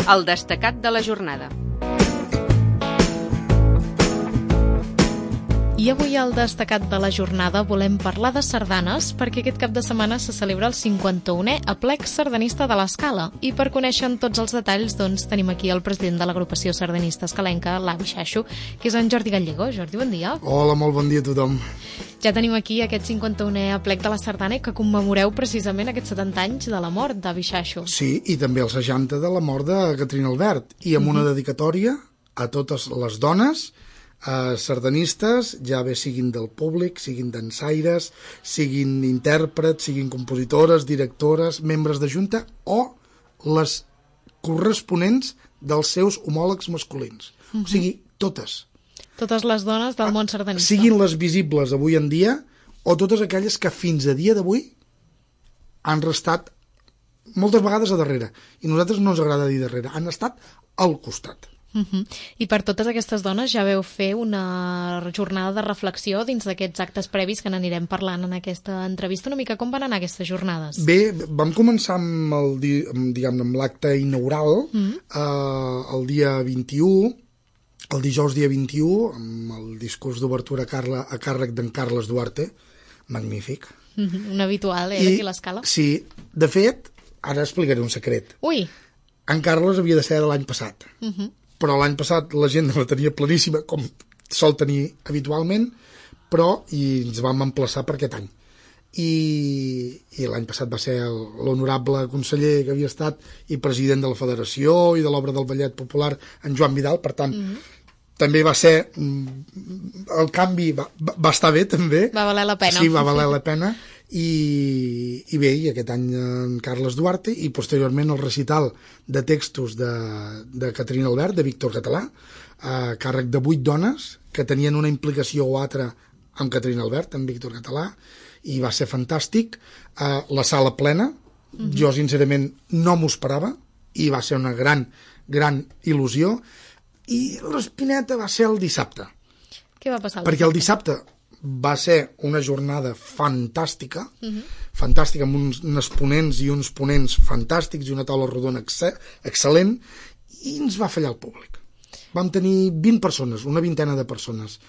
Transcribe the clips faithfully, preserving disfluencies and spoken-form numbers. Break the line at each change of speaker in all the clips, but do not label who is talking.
El destacat de la jornada.
I avui al destacat de la jornada volem parlar de sardanes perquè aquest cap de setmana se celebra el cinquanta-unè aplec sardanista de l'Escala. I per conèixer tots els detalls, doncs, tenim aquí el president de l'agrupació sardanista escalenca, l'Avi Xaixo, que és en Jordi Gallego. Jordi, bon dia.
Hola, molt bon dia a tothom.
Ja tenim aquí aquest cinquanta-unè aplec de la sardana que commemoreu precisament aquests setanta anys de la mort d'Avi Xaixo.
Sí, i també els seixanta de la mort de Caterina Albert, i amb una dedicatòria a totes les dones eh, sardanistes, ja bé siguin del públic, siguin dansaires, siguin intèrprets, siguin compositores, directores, membres de junta o les corresponents dels seus homòlegs masculins. Uh-huh. O sigui, totes.
Totes les dones del món sardanista.
Siguin les visibles avui en dia o totes aquelles que fins a dia d'avui han restat moltes vegades a darrere. I a nosaltres no ens agrada dir darrere. Han estat al costat.
Uh-huh. I per totes aquestes dones ja veu fer una jornada de reflexió dins d'aquests actes previs que n'anirem parlant en aquesta entrevista. Una mica com van anar aquestes jornades?
Bé, vam començar amb el, diguem-ne, amb l'acte inaugural uh-huh. eh, el dia vint-i-u, el dijous dia vint-i-u, amb el discurs d'obertura a, a càrrec d'en Carles Duarte, magnífic.
Uh-huh. Un habitual, eh,
I,
d'aquí a l'Escala.
Sí, de fet, ara explicaré un secret.
Ui!
En Carles havia de ser de l'any passat. Uh-huh. Però l'any passat la gent la tenia planíssima, com sol tenir habitualment, però i ens vam emplaçar per aquest any. I, i l'any passat va ser l'honorable conseller que havia estat i president de la Federació i de l'Obra del Ballet Popular, en Joan Vidal, per tant, mm-hmm. també va ser... El canvi va, va estar bé, també.
Va valer la pena.
Sí, va valer la pena. I, i bé, i aquest any en Carles Duarte i posteriorment el recital de textos de, de Caterina Albert, de Víctor Català, a càrrec de vuit dones que tenien una implicació o altra amb Caterina Albert, amb Víctor Català, i va ser fantàstic. Uh, la sala plena, uh-huh. Jo sincerament no m'ho esperava i va ser una gran, gran il·lusió. I l'espineta va ser el dissabte.
Què va passar?
Perquè el dissabte va ser una jornada fantàstica, uh-huh. fantàstica, amb uns, uns ponents i uns ponents fantàstics i una taula rodona ex- excel·lent, i ens va fallar el públic. Vam tenir vint persones, una vintena de persones.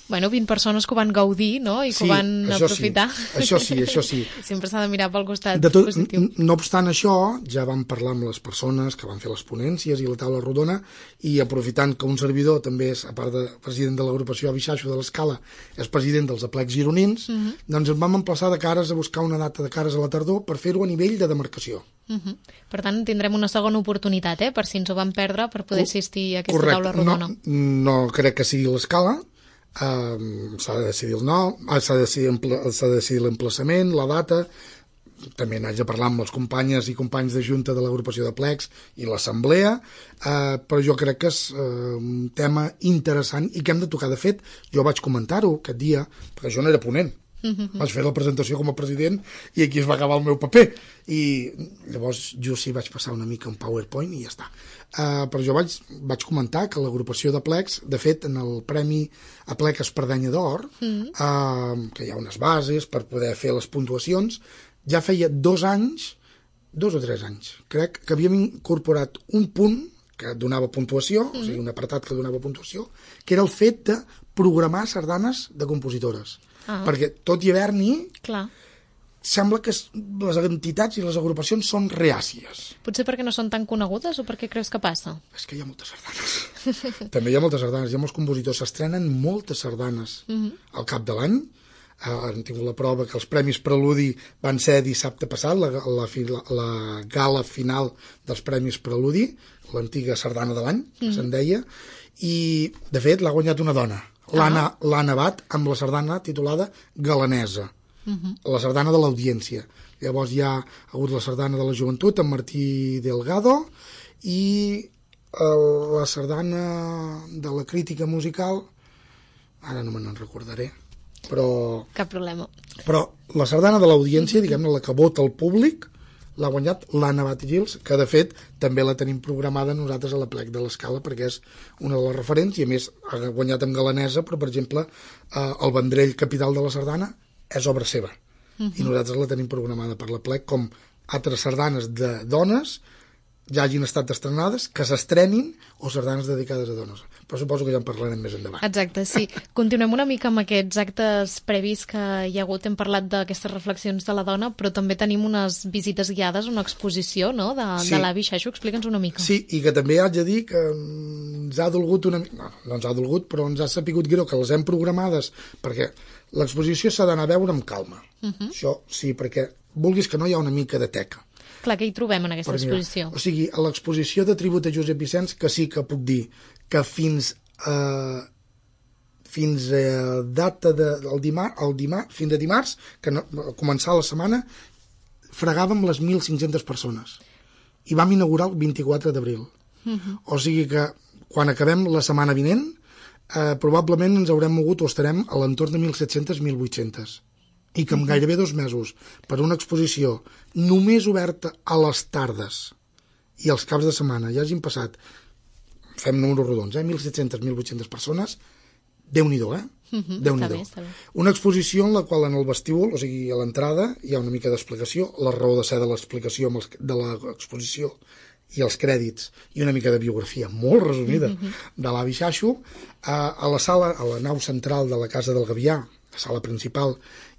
Bueno, vint persones que ho van gaudir, no? I que
sí,
ho van aprofitar.
Sí. Això sí, això sí.
Sempre s'ha de mirar pel costat
de tot,
positiu.
No obstant això, ja vam parlar amb les persones que van fer les ponències i la taula rodona, i aprofitant que un servidor també és, a part de president de l'agrupació Avi Xaixo de l'Escala, és president dels aplecs gironins, uh-huh. doncs ens vam emplaçar de cares a buscar una data de cares a la tardor per fer-ho a nivell de demarcació.
Uh-huh. Per tant, tindrem una segona oportunitat, eh? Per si ens ho vam perdre, per poder assistir a aquesta
Correcte.
taula rodona.
No, no crec que sigui l'Escala. Uh, s'ha de decidir el nom, s'ha de decidir, s'ha de decidir l'emplaçament, la data. També n'haig de parlar amb els companyes i companys de junta de l'agrupació de plecs i l'assemblea, uh, però jo crec que és uh, un tema interessant i que hem de tocar. De fet, jo vaig comentar-ho aquest dia, perquè jo no era ponent. Mm-hmm. Vaig fer la presentació com a president i aquí es va acabar el meu paper, i llavors jo sí vaig passar una mica un PowerPoint i ja està. Uh, però jo vaig, vaig comentar que l'agrupació de plecs, de fet en el Premi Aplec Espardenya d'Or, mm. uh, que hi ha unes bases per poder fer les puntuacions, ja feia dos anys, dos o tres anys, crec que havíem incorporat un punt que donava puntuació, mm. o sigui un apartat que donava puntuació, que era el fet de programar sardanes de compositores. Ah. Perquè tot i haver-n'hi, clar, sembla que les entitats i les agrupacions són reàcies.
Potser perquè no són tan conegudes o perquè creus que passa?
És que hi ha moltes sardanes. També hi ha moltes sardanes, hi ha molts compositors, s'estrenen moltes sardanes uh-huh. al cap de l'any. Uh, hem tingut la prova que els Premis Preludi van ser dissabte passat, la, la, la, la gala final dels Premis Preludi, l'antiga sardana de l'any, que uh-huh. se'n deia, i de fet l'ha guanyat una dona, l'Anna, ah. l'Anna Abad, amb la sardana titulada Galanesa. Uh-huh. La sardana de l'audiència. Llavors hi ha hagut la sardana de la joventut amb Martí Delgado i el, la sardana de la crítica musical, ara no me n'en recordaré, però...
Cap problema.
Però la sardana de l'audiència, uh-huh. diguem-ne, la que vota el públic, l'ha guanyat l'Anna Abad i Gils, que de fet també la tenim programada nosaltres a l'Aplec de l'Escala perquè és una de les referents i a més ha guanyat amb Galanesa, però per exemple eh, el Vendrell capital de la sardana és obra seva, uh-huh. i nosaltres la tenim programada per l'Aplec com altres sardanes de dones ja hagin estat estrenades, que s'estrenin, o sardanes dedicades a dones. Però suposo que ja en parlarem més endavant.
Exacte, sí. Continuem una mica amb aquests actes previs que hi ha hagut. Hem parlat d'aquestes reflexions de la dona, però també tenim unes visites guiades, una exposició, no?, de, sí. de l'avi Xaixo. Explica'ns una mica.
Sí, i que també haig de dir que ens ha dolgut una mica... No, no ens ha dolgut, però ens ha sapigut greu que les hem programades, perquè l'exposició s'ha d'anar a veure amb calma. Uh -huh. Això sí, perquè vulguis que no hi ha una mica de teca.
Clar, què hi trobem en aquesta exposició?
O sigui, a l'exposició de tribut a Josep Vicenç, que sí que puc dir que fins a, fins a data de, el dimarts, el dimarts, fins a dimarts, que no, a començar la setmana, fregàvem les mil cinc-centes persones. I vam inaugurar el vint-i-quatre d'abril. Uh-huh. O sigui que quan acabem la setmana vinent, eh, probablement ens haurem mogut o estarem a l'entorn de mil set-centes a mil vuit-centes. I que en gairebé dos mesos, per una exposició només oberta a les tardes i als caps de setmana, ja hagin passat, fem números rodons, eh? mil set-centes a mil vuit-centes persones, Déu-n'hi-do, eh?
Uh-huh,
Déu-n'hi-do.
està bé, està bé.
Una exposició en la qual en el vestíbul, o sigui, a l'entrada, hi ha una mica d'explicació, la raó de ser de l'explicació de l'exposició i els crèdits, i una mica de biografia molt resumida uh-huh. de l'avi Xaixo. A, a la sala, a la nau central de la Casa del Gavià, la sala principal,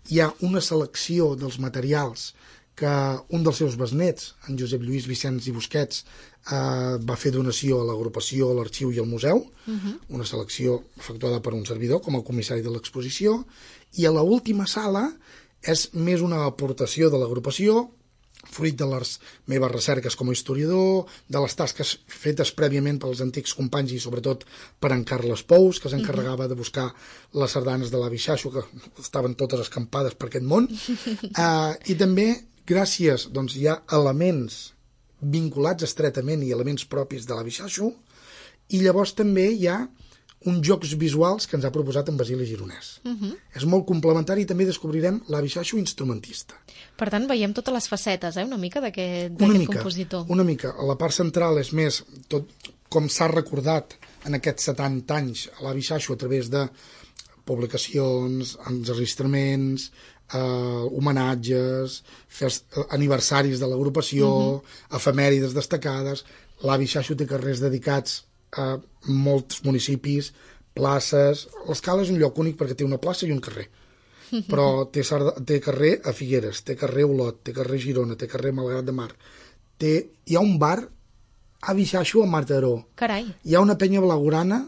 hi ha una selecció dels materials que un dels seus besnets, en Josep Lluís Vicenç i Busquets, eh, va fer donació a l'agrupació, a l'arxiu i al museu, uh-huh. una selecció efectuada per un servidor com a comissari de l'exposició, i a l'última sala és més una aportació de l'agrupació, fruit de les meves recerques com a historiador, de les tasques fetes prèviament pels antics companys i sobretot per en Carles Pous, que s'encarregava de buscar les sardanes de l'avi Xaixo, que estaven totes escampades per aquest món. Uh, I també, gràcies, doncs hi ha elements vinculats estretament i elements propis de l'avi Xaixo, i llavors també hi ha uns jocs visuals que ens ha proposat en Basili Gironès. Uh-huh. És molt complementari i també descobrirem l'avi Xaixo instrumentista.
Per tant, veiem totes les facetes, eh, una mica d'aquest compositor.
Una mica. A la part central és més tot com s'ha recordat en aquests setanta anys a l'avi Xaixo a través de publicacions, enregistraments, eh, homenatges, fest, aniversaris de l'agrupació, uh-huh. efemèrides destacades. L'avi Xaixo té carrers dedicats a molts municipis, places. L'Escala és un lloc únic perquè té una plaça i un carrer, però té, té carrer a Figueres, té carrer a Olot, té carrer a Girona, té carrer a Malgrat de Mar, té, hi ha un bar avi Xaixo a Mataró.
Carai.
Hi ha una penya blaugrana,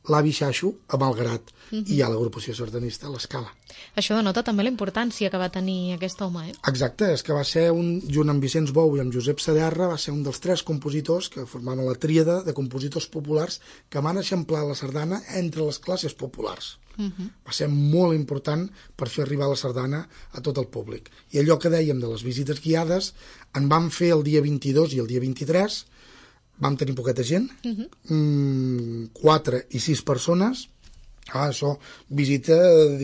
l'avi Xaixo a Malgrat, uh-huh. i hi ha l'agrupació sardanista a l'Escala.
Això denota també la importància que va tenir aquest home, eh? Exacte,
és que va ser, un, junt amb Vicenç Bou i amb Josep Saderra, va ser un dels tres compositors que formaven la tríada de compositors populars que van eixamplar la sardana entre les classes populars. Uh-huh. Va ser molt important per fer arribar la sardana a tot el públic. I allò que dèiem de les visites guiades, en vam fer el dia vint-i-dos i el dia vint-i-tres, vam tenir poqueta gent, uh-huh. mm, quatre i sis persones. Ah, això, visita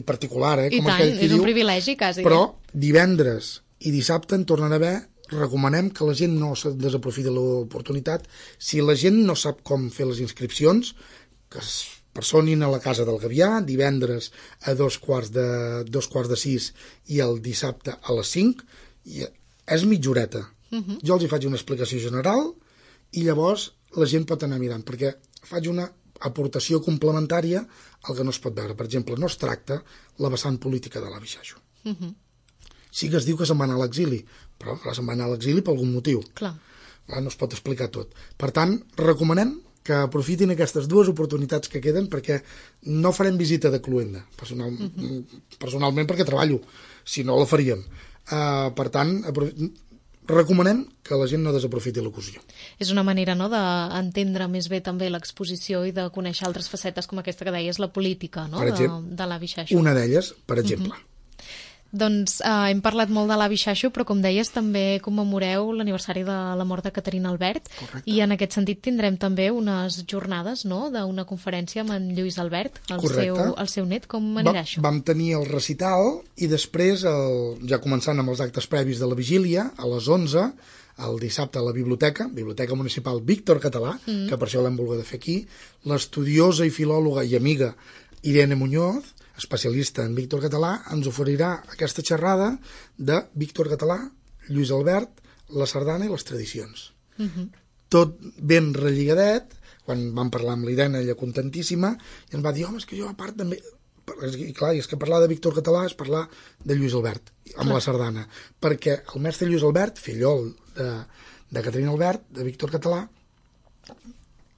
particular, eh?
I
com
tant, és diu. Un privilegi, quasi.
Però divendres i dissabte en tornarà a haver, recomanem que la gent no desaprofiti l'oportunitat. Si la gent no sap com fer les inscripcions, que es personin a la Casa del Gavià, divendres a dos quarts de, dos quarts de sis i el dissabte a les cinc, i és mitja horeta. Uh-huh. Jo els hi faig una explicació general i llavors la gent pot anar mirant, perquè faig una aportació complementària al que no es pot veure. Per exemple, no es tracta la vessant política de l'avi Xaixo. Uh-huh. Sí que es diu que se'n va anar a l'exili, però se'n va anar a l'exili per algun motiu.
Clar.
No es pot explicar tot. Per tant, recomanem que aprofitin aquestes dues oportunitats que queden, perquè no farem visita de cluenda, personal, uh-huh. personalment perquè treballo, si no la faríem. Uh, per tant, recomanem que la gent no desaprofiti l'ocasió.
És una manera, no?, d'entendre més bé també l'exposició i de conèixer altres facetes com aquesta que deies, la política, no?, exemple, de, de l'avi Xaixo.
Una d'elles, per exemple. Uh-huh.
Doncs eh, hem parlat molt de l'avi Xaixo, però com deies també commemoreu l'aniversari de la mort de Caterina Albert. Correcte. I en aquest sentit tindrem també unes jornades, no?, d'una conferència amb en Lluís Albert, el, seu, el seu net. Com anirà Va, això?
Vam tenir el recital i després, el, ja començant amb els actes previs de la vigília, a les onze, el dissabte a la biblioteca, Biblioteca Municipal Víctor Català, mm. que per això l'hem volgut fer aquí, l'estudiosa i filòloga i amiga Irene Muñoz, especialista en Víctor Català, ens oferirà aquesta xerrada de Víctor Català, Lluís Albert, la sardana i les tradicions. Uh-huh. tot ben relligadet. Quan vam parlar amb l'Irene, ella contentíssima, i ens va dir, home, és que jo a part també... I clar, és que parlar de Víctor Català és parlar de Lluís Albert, amb clar. La sardana, perquè el mestre Lluís Albert, fillol de, de Caterina Albert, de Víctor Català,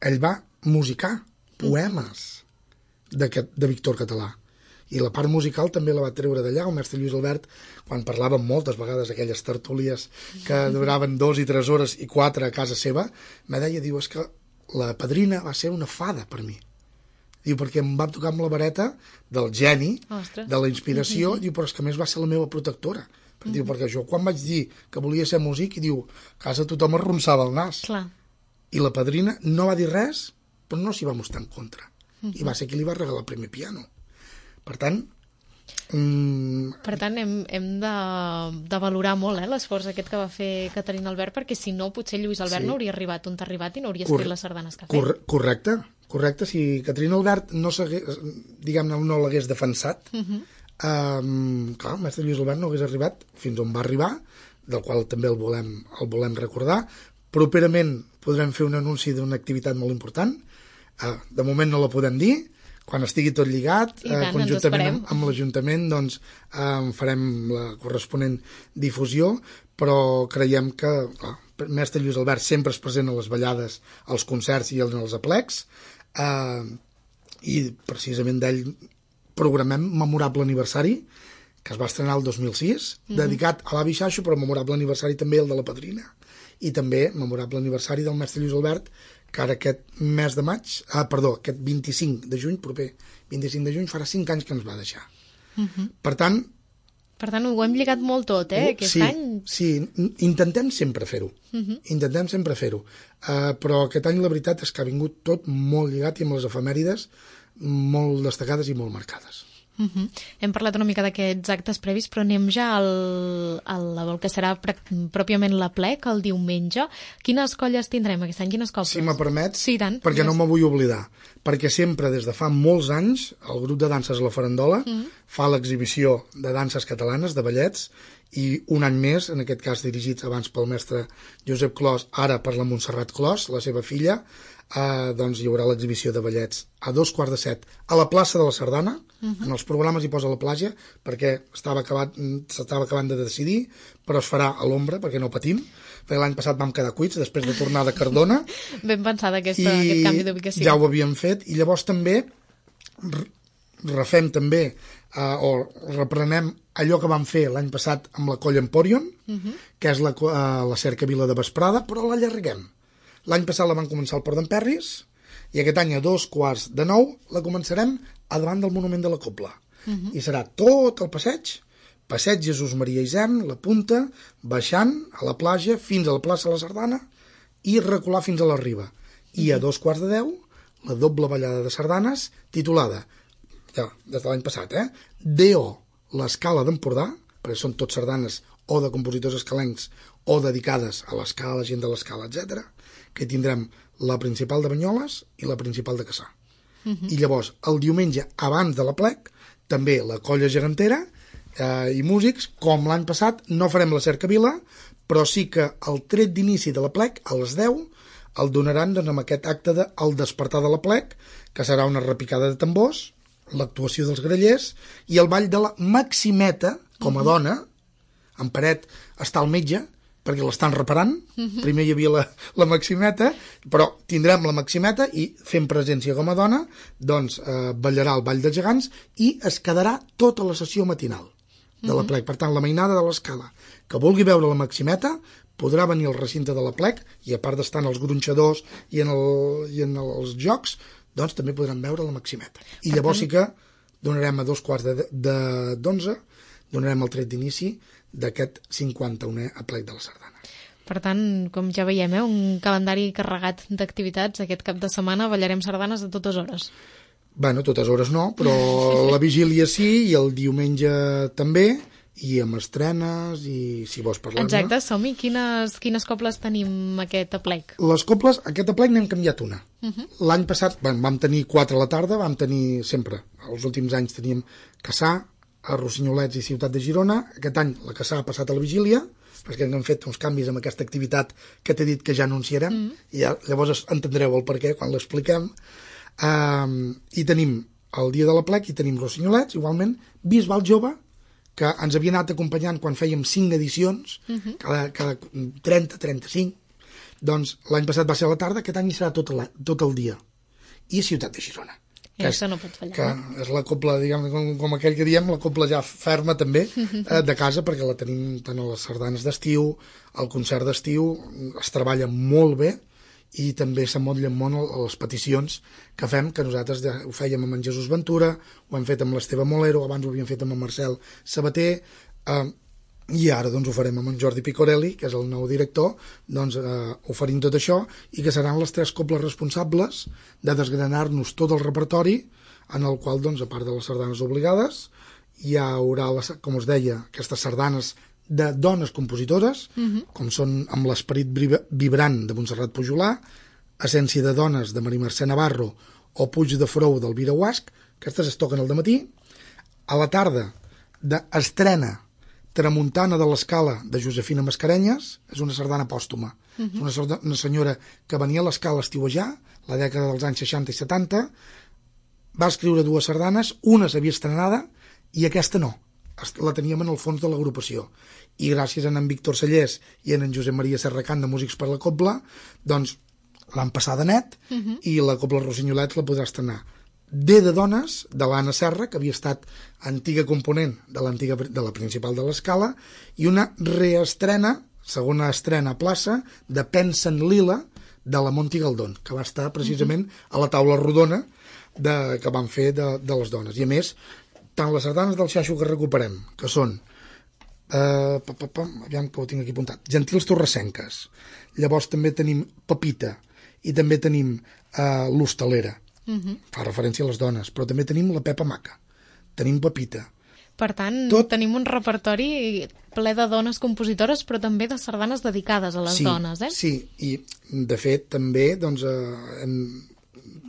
ell va musicar poemes de, de Víctor Català, i la part musical també la va treure d'allà. El mestre Lluís Albert, quan parlàvem moltes vegades aquelles tertúlies que duraven dos i tres hores i quatre a casa seva, me deia, diu, és que la padrina va ser una fada per mi. Diu, perquè em va tocar amb la vareta del geni, Ostres. De la inspiració, uh-huh. diu, però és que a més va ser la meva protectora. Uh-huh. Diu, perquè jo quan vaig dir que volia ser músic, i diu, a casa tothom arronsava el nas.
Clar.
I la padrina no va dir res, però no s'hi va mostrar en contra. Uh-huh. I va ser qui li va regalar el primer piano. Per tant... Mm...
Per tant, hem, hem de, de valorar molt eh, l'esforç aquest que va fer Caterina Albert, perquè si no, potser Lluís Albert sí. no hauria arribat on t'ha arribat i no hauria escrit Cor- les sardanes que ha fet.
Cor- correcte, correcte. Si Caterina Albert no, diguem-ne, no l'hagués defensat, uh-huh. um, clar, el mestre Lluís Albert no hagués arribat fins on va arribar, del qual també el volem, el volem recordar. Properament podrem fer un anunci d'una activitat molt important. Uh, de moment no la podem dir. Quan estigui tot lligat,
tant,
eh, conjuntament amb, amb l'Ajuntament, doncs eh, farem la corresponent difusió, però creiem que clar, el mestre Lluís Albert sempre és present a les ballades, als concerts i als aplecs, eh, i precisament d'ell programem Memorable Aniversari, que es va estrenar el dos mil sis, mm-hmm. dedicat a l'avi Xaixo, però Memorable Aniversari també el de la padrina, i també Memorable Aniversari del mestre Lluís Albert, que ara aquest mes de maig, ah, perdó, aquest vint-i-cinc de juny, proper vint-i-cinc de juny, farà cinc anys que ens va deixar. Uh-huh. Per tant...
Per tant, ho hem lligat molt tot, eh, aquest
sí,
any.
Sí, intentem sempre fer-ho. Uh-huh. Intentem sempre fer-ho. Uh, però aquest any la veritat és que ha vingut tot molt lligat i amb les efemèrides molt destacades i molt marcades.
Uh-huh. Hem parlat una mica d'aquests actes previs, però anem ja al, al, al que serà pr- pròpiament l'aplec, el diumenge. Quines colles tindrem aquest any? Quines cobles?
Si me permets,
sí, tant.
perquè no me vull oblidar. Perquè sempre, des de fa molts anys, el grup de danses La Farandola uh-huh. fa l'exhibició de danses catalanes, de ballets, i un any més, en aquest cas dirigits abans pel mestre Josep Clos, ara per la Montserrat Clos, la seva filla, eh, doncs hi haurà l'exhibició de ballets a dos quarts de set a la plaça de la Sardana. Uh-huh. En els programes hi posa la platja perquè estava acabat, s'estava acabant de decidir, però es farà a l'ombra perquè no patim, perquè l'any passat vam quedar cuits després de tornar de Cardona.
Ben pensada aquesta, aquest canvi d'ubicació.
Ja ho havíem fet, i llavors també refem també eh, o reprenem allò que vam fer l'any passat amb la Colla Emporion, uh-huh. que és la, uh, la cercavila de vesprada, però l'allarguem. L'any passat la van començar al Port d'Emperris, i aquest any a dos quarts de nou la començarem a davant del Monument de la Cobla. Uh-huh. I serà tot el passeig, passeig Jesús Maria Isern, la punta, baixant a la platja fins a la plaça de la Sardana i recular fins a la Riba. I uh-huh. a dos quarts de deu, la doble ballada de sardanes titulada, ja, des de l'any passat, eh? D O, l'Escala d'Empordà, perquè són tots sardanes o de compositors escalencs o dedicades a l'escala, la gent de l'escala, etcètera, que tindrem la principal de Banyoles i la principal de Cassà. Uh-huh. I llavors, el diumenge, abans de l'aplec, també la colla gegantera eh, i músics, com l'any passat, no farem la cercavila, però sí que el tret d'inici de l'aplec, a les deu, el donaran doncs, amb aquest acte de El despertar de l'aplec, que serà una repicada de tambors, l'actuació dels grallers i el ball de la Maximeta, com a uh-huh. dona, en Paret està al metge, perquè l'estan reparant. Uh-huh. Primer hi havia la, la Maximeta, però tindrem la Maximeta i fent presència com a dona, doncs eh, ballarà el Ball dels Gegants i es quedarà tota la sessió matinal de uh-huh. l'aplec. Per tant, la mainada de l'escala que vulgui veure la Maximeta podrà venir al recinte de l'aplec i a part d'estar en els gronxadors i en, el, i en els jocs, doncs també podran veure la Maximeta. I llavors sí que donarem a dos quarts de, de, d'onze, donarem el tret d'inici d'aquest cinquanta-unè aplec de la Sardana.
Per tant, com ja veiem, eh, un calendari carregat d'activitats. Aquest cap de setmana ballarem sardanes a totes hores.
Bueno, totes hores no, però la vigília sí, i el diumenge també, i amb estrenes, i si vols parlar-ne.
Exacte, som-hi. Quines, quines cobles tenim aquest aplec?
Les cobles, aquest aplec n'hem canviat una. Uh-huh. L'any passat bueno, vam tenir quatre a la tarda, vam tenir sempre, els últims anys teníem Cassà, a Rossinyolets i Ciutat de Girona. Aquest any la Cassà ha passat a la vigília, perquè hem fet uns canvis amb aquesta activitat que t'he dit que ja anunciarem, mm. i ja, llavors entendreu el perquè quan l'expliquem. Um, I tenim el dia de l'aplec i tenim rossinyolets, igualment, Bisbal Jove, que ens havia anat acompanyant quan fèiem cinc edicions, mm-hmm. cada, cada trenta, trenta-cinc, doncs l'any passat va ser a la tarda, aquest any hi serà tot, la, tot el dia. I Ciutat de Girona.
I això no pot fallar.
Que
no?
és la cobla, diguem, com, com aquell que diem, la cobla ja ferma també, eh, de casa, perquè la tenim tant a les sardanes d'estiu, al concert d'estiu, es treballa molt bé, i també s'amotllen molt les peticions que fem, que nosaltres ja ho fèiem amb en Jesús Ventura, ho hem fet amb l'Esteve Molero, abans ho havíem fet amb en Marcel Sabater, eh, i ara doncs ho farem amb en Jordi Picorelli, que és el nou director, doncs eh, oferint tot això, i que seran les tres cobles responsables de desgranar-nos tot el repertori, en el qual, doncs, a part de les sardanes obligades, hi haurà, les, com us deia, aquestes sardanes de dones compositores, uh-huh. com són Amb l'esperit vibrant de Montserrat Pujolà, Essència de dones de Maria Mercè Navarro o Puig de Frou d'Elvira Guasch, aquestes es toquen al dematí. A la tarda, d'estrena Tramuntana de l'Escala de Josefina Mascarenyes, és una sardana pòstuma. Uh-huh. És una, sardana, una senyora que venia a l'Escala a estiuejar, la dècada dels anys seixanta i setanta, va escriure dues sardanes, una s'havia estrenada i aquesta no. La teníem en el fons de l'agrupació. I gràcies a en Víctor Sallés i a en Josep Maria Serracant de Músics per la Cobla, doncs l'han passada net, uh-huh. i la Cobla Rossinyolets la podrà estrenar. D de dones, de l'Anna Serra, que havia estat antiga component de, l'antiga, de la principal de l'Escala, i una reestrena, segona estrena a plaça, de Pensa en Lila, de la Monti Galdón, que va estar precisament a la taula rodona de, que van fer de, de les dones. I a més, tant les sardanes del Xaixo que recuperem, que són, eh, pa, pa, pa, aviam que ho tinc aquí apuntat, Gentils Torrescenques, llavors també tenim Pepita, i també tenim eh, l'Hostalera, uh-huh. fa referència a les dones, però també tenim la Pepa Maca, tenim Pepita.
Per tant, Tot... tenim un repertori ple de dones compositores, però també de sardanes dedicades a les
sí,
dones, eh?
Sí, i de fet també doncs, eh, hem,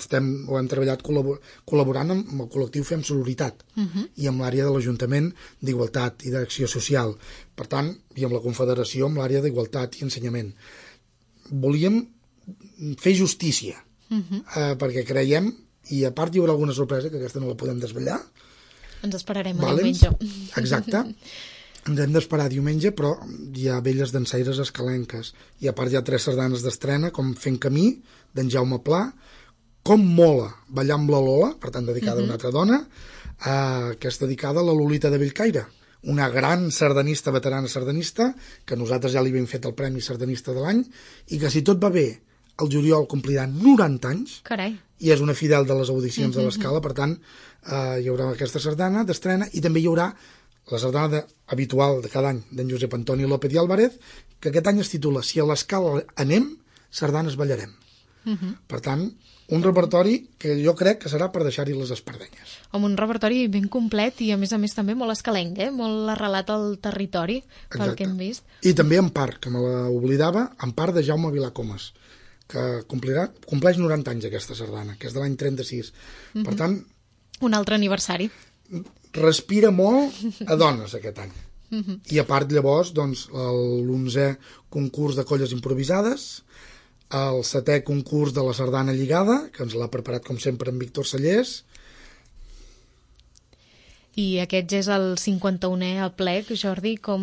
estem, ho hem treballat col·labor, col·laborant amb el col·lectiu Fem Sororitat, uh-huh. i amb l'àrea de l'Ajuntament d'Igualtat i d'Acció Social, per tant, i amb la Confederació amb l'àrea d'Igualtat i Ensenyament. Volíem fer justícia, uh-huh. eh, perquè creiem, i a part hi haurà alguna sorpresa, que aquesta no la podem desvetllar.
Ens esperarem a
vale?
diumenge.
Exacte. Ens hem d'esperar diumenge, però hi ha velles dansaires escalenques, i a part hi ha tres sardanes d'estrena, com Fent Camí, d'en Jaume Pla, Com Mola, Ballar amb la Lola, per tant dedicada uh-huh. a una altra dona, eh, que és dedicada a la Lolita de Bellcaire, una gran sardanista, veterana sardanista, que nosaltres ja li hem fet el Premi Sardanista de l'any, i que si tot va bé, el juliol complirà noranta anys.
Carai.
I és una fidel de les audicions uh-huh. de l'Escala, per tant, eh, hi haurà aquesta sardana d'estrena, i també hi haurà la sardana de, habitual de cada any d'en Josep Antoni López i Álvarez, que aquest any es titula Si a l'Escala anem, sardanes ballarem. Uh-huh. Per tant, un repertori que jo crec que serà per deixar-hi les espardenyes.
Amb un repertori ben complet i a més a més també molt escalenc, eh? Molt arrelat al territori, pel Exacte. Que hem vist.
I també en part, que me l'oblidava, en part de Jaume Vilacomas, que complirà, compleix noranta anys aquesta sardana, que és de l'any trenta-sis. Uh-huh. Per tant...
Un altre aniversari.
Respira molt a dones aquest any. Uh-huh. I a part llavors, doncs, l'onzè concurs de colles improvisades, el setè concurs de la sardana lligada, que ens l'ha preparat com sempre en Víctor Sallés.
I aquest és el cinquanta-unè aplec, Jordi, com,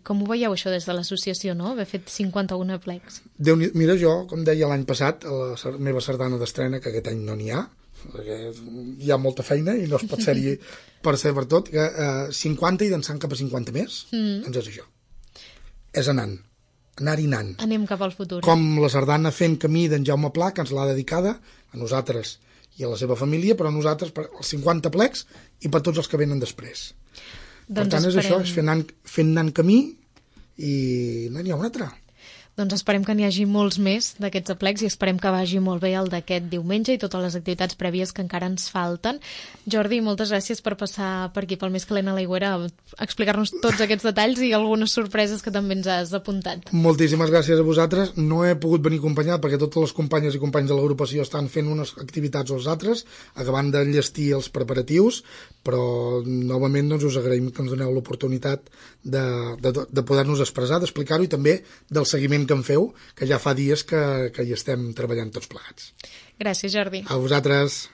com ho veieu això des de l'associació, no? Haver fet cinquanta-un aplecs.
Déu, mira, jo, com deia l'any passat, a la meva sardana d'estrena, que aquest any no n'hi ha, perquè hi ha molta feina i no es pot ser-hi per ser per tot, que eh, cinquanta i dansant cap a cinquanta més, mm. doncs és això. És anant. Anar-hi anant.
Anem cap al futur.
Com la sardana Fent Camí d'en Jaume Pla, que ens l'ha dedicada a nosaltres i a la seva família, però a nosaltres per els cinquanta plecs i per tots els que venen després.
Doncs
per tant,
esperem...
és això, és fent anant, fent anant camí i no n'hi ha un altre.
Doncs esperem que n'hi hagi molts més d'aquests aplecs i esperem que vagi molt bé el d'aquest diumenge i totes les activitats prèvies que encara ens falten. Jordi, moltes gràcies per passar per aquí pel Més Calent a l'Aigüera a explicar-nos tots aquests detalls i algunes sorpreses que també ens has apuntat.
Moltíssimes gràcies a vosaltres. No he pogut venir acompanyat perquè totes les companyes i companys de l'agrupació estan fent unes activitats als altres, acabant d'enllestir els preparatius, però novament doncs, us agraïm que ens doneu l'oportunitat de, de, de poder-nos expressar, d'explicar-ho i també del seguiment que en feu, que ja fa dies que, que hi estem treballant tots plegats.
Gràcies, Jordi.
A vosaltres.